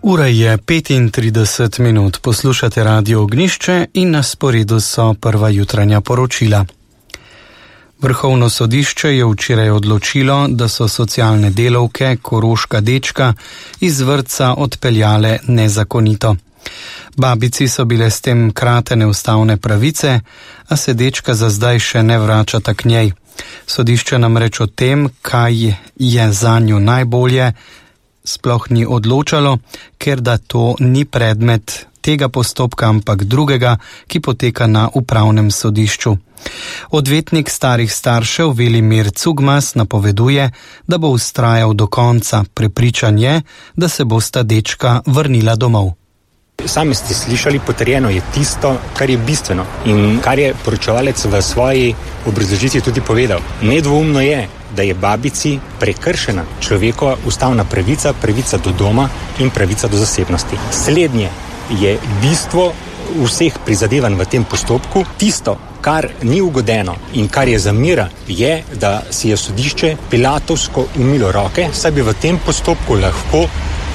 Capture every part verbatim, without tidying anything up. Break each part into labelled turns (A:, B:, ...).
A: Ura je petintrideset minut, poslušate Radio Ognjišče in na sporedu so prva jutranja poročila. Vrhovno sodišče je včeraj odločilo, da so socialne delavke Koroška dečka iz vrtca odpeljale nezakonito. Babici so bile s tem kratene ustavne pravice, a se dečka za zdaj še ne vračata k njej. Sodišče namreč o tem, kaj je zanju najbolje, sploh ni odločalo, ker da to ni predmet tega postopka, ampak drugega, ki poteka na upravnem sodišču. Odvetnik starih staršev Velimir Cugmas napoveduje, da bo vztrajal do konca. Prepričan je, da se bosta dečka vrnila domov.
B: Sami ste slišali, potrjeno je tisto, kar je bistveno in kar je poročevalec v svoji obrazložitvi tudi povedal. Nedvoumno je, da je babici prekršena človekova ustavna pravica, pravica do doma in pravica do zasebnosti. Slednje je bistvo vseh prizadevanj v tem postopku. Tisto, kar ni ugodeno in kar je zamira, je, da si je sodišče pilatovsko umilo roke, saj bi v tem postopku lahko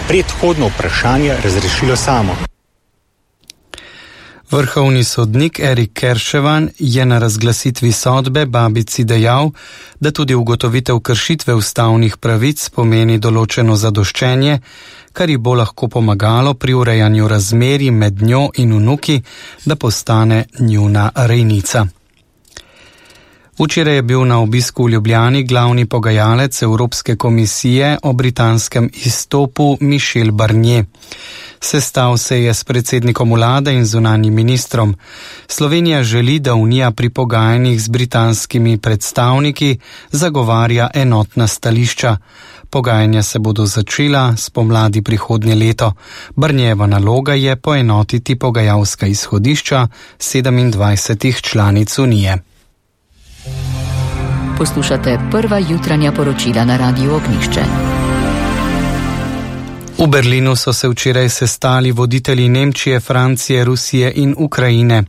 B: predhodno vprašanje razrešilo samo.
A: Vrhovni sodnik Erik Kerševan je na razglasitvi sodbe babici dejal, da tudi ugotovitev kršitve ustavnih pravic pomeni določeno zadoščenje, kar ji bo lahko pomagalo pri urejanju razmerij med njo in vnuki, da postane njuna rejnica. Včeraj je bil na obisku v Ljubljani glavni pogajalec Evropske komisije o britanskem izstopu Michel Barnier. Sestal se je s predsednikom vlade in zunanjim ministrom. Slovenija želi, da Unija pri pogajanjih z britanskimi predstavniki zagovarja enotna stališča. Pogajanja se bodo začela spomladi prihodnje leto. Barnierjeva naloga je poenotiti pogajalska izhodišča sedemindvajsetih članic Unije.
C: Poslušate prva jutranja poročila na Radiu Ognjišče.
A: V Berlinu so se včeraj sestali voditelji Nemčije, Francije, Rusije in Ukrajine.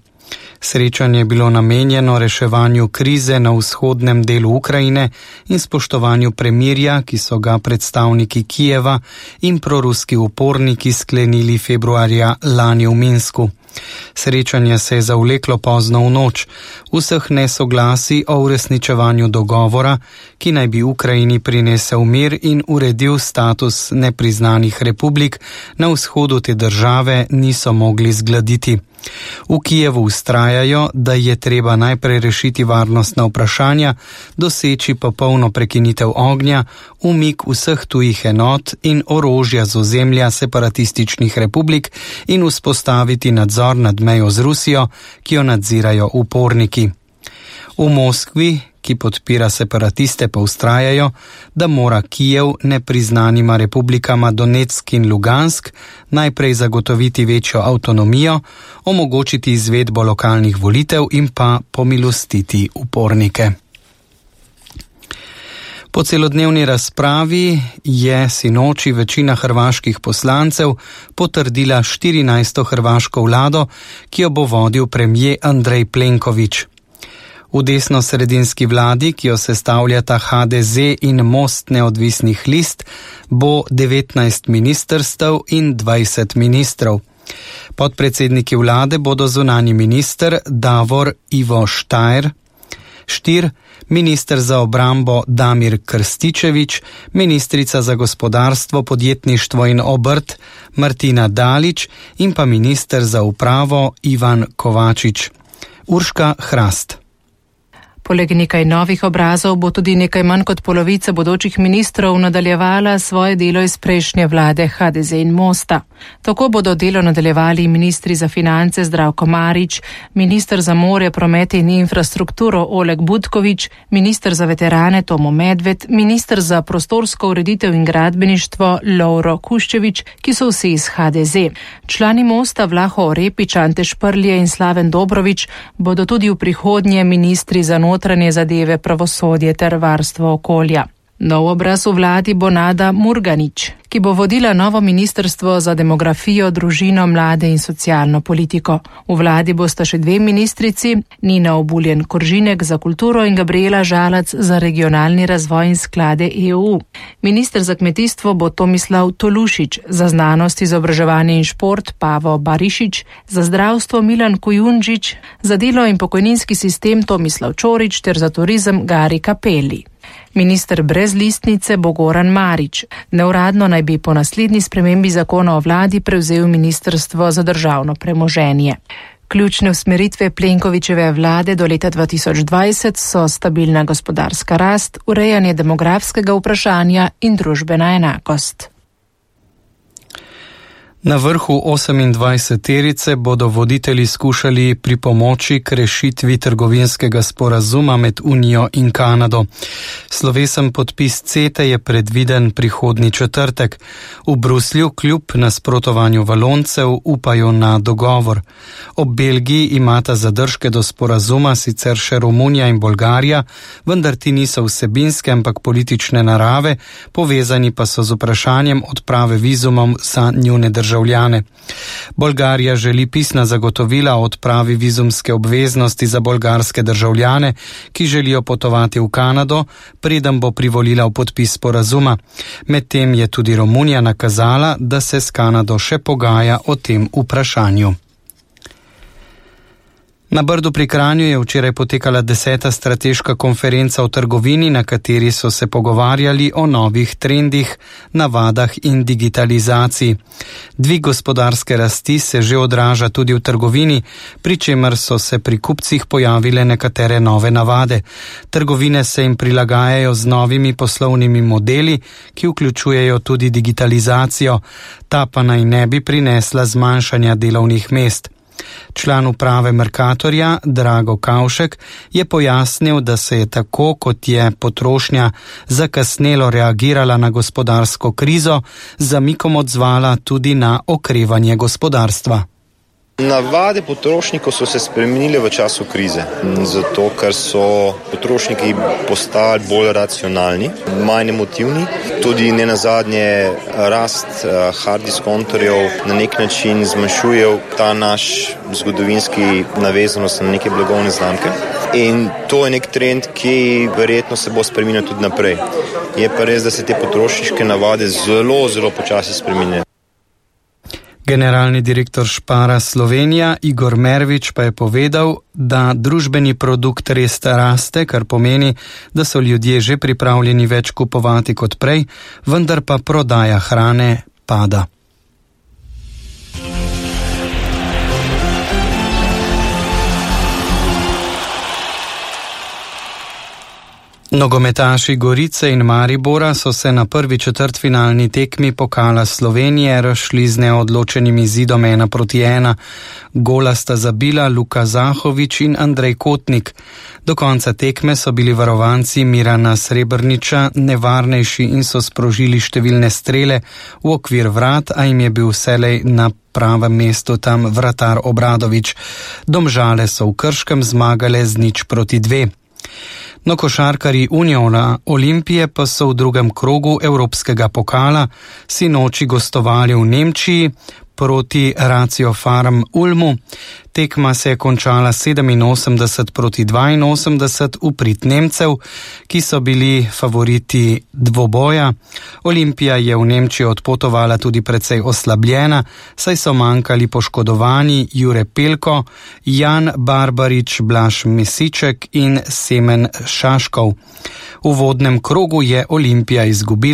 A: Srečanje je bilo namenjeno reševanju krize na vzhodnem delu Ukrajine in spoštovanju premirja, ki so ga predstavniki Kijeva in proruski uporniki sklenili februarja lani v Minsku. Srečanje se je zavleklo pozno v noč. Vseh nesoglasij o uresničevanju dogovora, ki naj bi Ukrajini prinesel mir in uredil status nepriznanih republik na vzhodu te države, niso mogli zgladiti. V Kijevu vztrajajo, da je treba najprej rešiti varnostna vprašanja, doseči popolno prekinitev ognja, umik vseh tujih enot in orožja z ozemlja separatističnih republik in vzpostaviti nadzor nad mejo z Rusijo, ki jo nadzirajo uporniki. V Moskvi, ki podpira separatiste, pa vztrajajo, da mora Kijev nepriznanima republikama Donetsk in Lugansk najprej zagotoviti večjo avtonomijo, omogočiti izvedbo lokalnih volitev in pa pomilostiti upornike. Po celodnevni razpravi je sinoči večina hrvaških poslancev potrdila štirinajsto hrvaško vlado, ki jo bo vodil premier Andrej Plenković. V desno-sredinski vladi, ki jo sestavljata ha de ze in Most neodvisnih list, bo devetnajst ministrstev in dvajset ministrov. Podpredsedniki vlade bodo zunanji minister Davor Ivo Štajer, Štir, minister za obrambo Damir Krstičević, ministrica za gospodarstvo, podjetništvo in obrt Martina Dalić in pa minister za upravo Ivan Kovačič. Urška Hrast.
D: Poleg nekaj novih obrazov bo tudi nekaj manj kot polovica bodočih ministrov nadaljevala svoje delo iz prejšnje vlade ha de ze in Mosta. Tako bodo delo nadaljevali ministri za finance Zdravko Marić, minister za more, promet in infrastrukturo Oleg Butković, minister za veterane Tomo Medved, minister za prostorsko ureditev in gradbeništvo Lovro Kuščević, ki so vsi iz ha de ze. Člani Mosta Vlaho Orepić, Ante Šprlje in Slaven Dobrović bodo tudi v prihodnje ministri za notranje zadeve, pravosodje ter varstvo okolja. Nov obraz v vladi bo Nada Murganić, ki bo vodila novo ministrstvo za demografijo, družino, mlade in socialno politiko. V vladi bosta še dve ministrici, Nina Obuljen Koržinek za kulturo in Gabriela Žalac za regionalni razvoj in sklade E U. Minister za kmetijstvo bo Tomislav Tolušić, za znanost, izobraževanje in šport Pavo Barišić, za zdravstvo Milan Kujundžić, za delo in pokojninski sistem Tomislav Čorić ter za turizem Gari Kapeli. Minister brez listnice bo Goran Marić. Neuradno naj bi po naslednji spremembi zakona o vladi prevzel ministrstvo za državno premoženje. Ključne usmeritve Plenkovićeve vlade do leta dva tisoč dvajset so stabilna gospodarska rast, urejanje demografskega vprašanja in družbena enakost.
A: Na vrhu osemindvajseterice bodo voditelji skušali pripomoči k rešitvi trgovinskega sporazuma med Unijo in Kanado. Slovesen podpis CETE je predviden prihodnji četrtek. V Bruslju kljub nasprotovanju Valoncev upajo na dogovor. Ob Belgiji imata zadržke do sporazuma sicer še Romunija in Bolgarija, vendar ti niso vsebinske, ampak politične narave, povezani pa so z vprašanjem odprave vizumov za njune države. Bolgarija želi pisna zagotovila o odpravi vizumske obveznosti za bolgarske državljane, ki želijo potovati v Kanado, preden bo privolila v podpis sporazuma. Medtem je tudi Romunija nakazala, da se s Kanado še pogaja o tem vprašanju. Na Brdu pri Kranju je včeraj potekala deseta strateška konferenca o trgovini, na kateri so se pogovarjali o novih trendih, navadah in digitalizaciji. Dvig gospodarske rasti se že odraža tudi v trgovini, pri čemer so se pri kupcih pojavile nekatere nove navade. Trgovine se jim prilagajajo z novimi poslovnimi modeli, ki vključujejo tudi digitalizacijo, ta pa naj ne bi prinesla zmanjšanja delovnih mest. Član uprave Mercatorja Drago Kavšek je pojasnil, da se je tako, kot je potrošnja zakasnelo reagirala na gospodarsko krizo, z zamikom odzvala tudi na okrevanje gospodarstva.
E: Navade potrošnikov so se spremenile v času krize, zato ker so potrošniki postali bolj racionalni, manj emotivni. Tudi ne nazadnje rast hard diskontorjev na nek način zmanjšuje ta naš zgodovinski navezanost na neke blagovne znamke. In to je nek trend, ki verjetno se bo spremenil tudi naprej. Je pa res, da se te potrošniške navade zelo, zelo počasi spreminjajo.
A: Generalni direktor Spara Slovenija Igor Mervič pa je povedal, da družbeni produkt res raste, kar pomeni, da so ljudje že pripravljeni več kupovati kot prej, vendar pa prodaja hrane pada. Nogometaši Gorice in Maribora so se na prvi četrtfinalni tekmi pokala Slovenije razšli z neodločenim izidom ena proti ena. Gola sta zabila Luka Zahovič in Andrej Kotnik. Do konca tekme so bili varovanci Mirana Srebrniča nevarnejši in so sprožili številne strele v okvir vrat, a jim je bil vselej na pravem mestu tam vratar Obradovič. Domžale so v Krškem zmagale z nič proti dve. No, košarkarji Uniona Olimpije pa so v drugem krogu Evropskega pokala sinoči gostovali v Nemčiji proti Ratio Farm Ulmu. Tekma se je končala sedeminosemdeset proti dvainosemdeset v prid Nemcev, ki so bili favoriti dvoboja. Olimpija je v Nemčijo odpotovala tudi precej oslabljena, saj so manjkali poškodovani Jure Pelko, Jan Barbarič, Blaž Mesiček in Semen Šaškov. V uvodnem krogu je Olimpija izgubila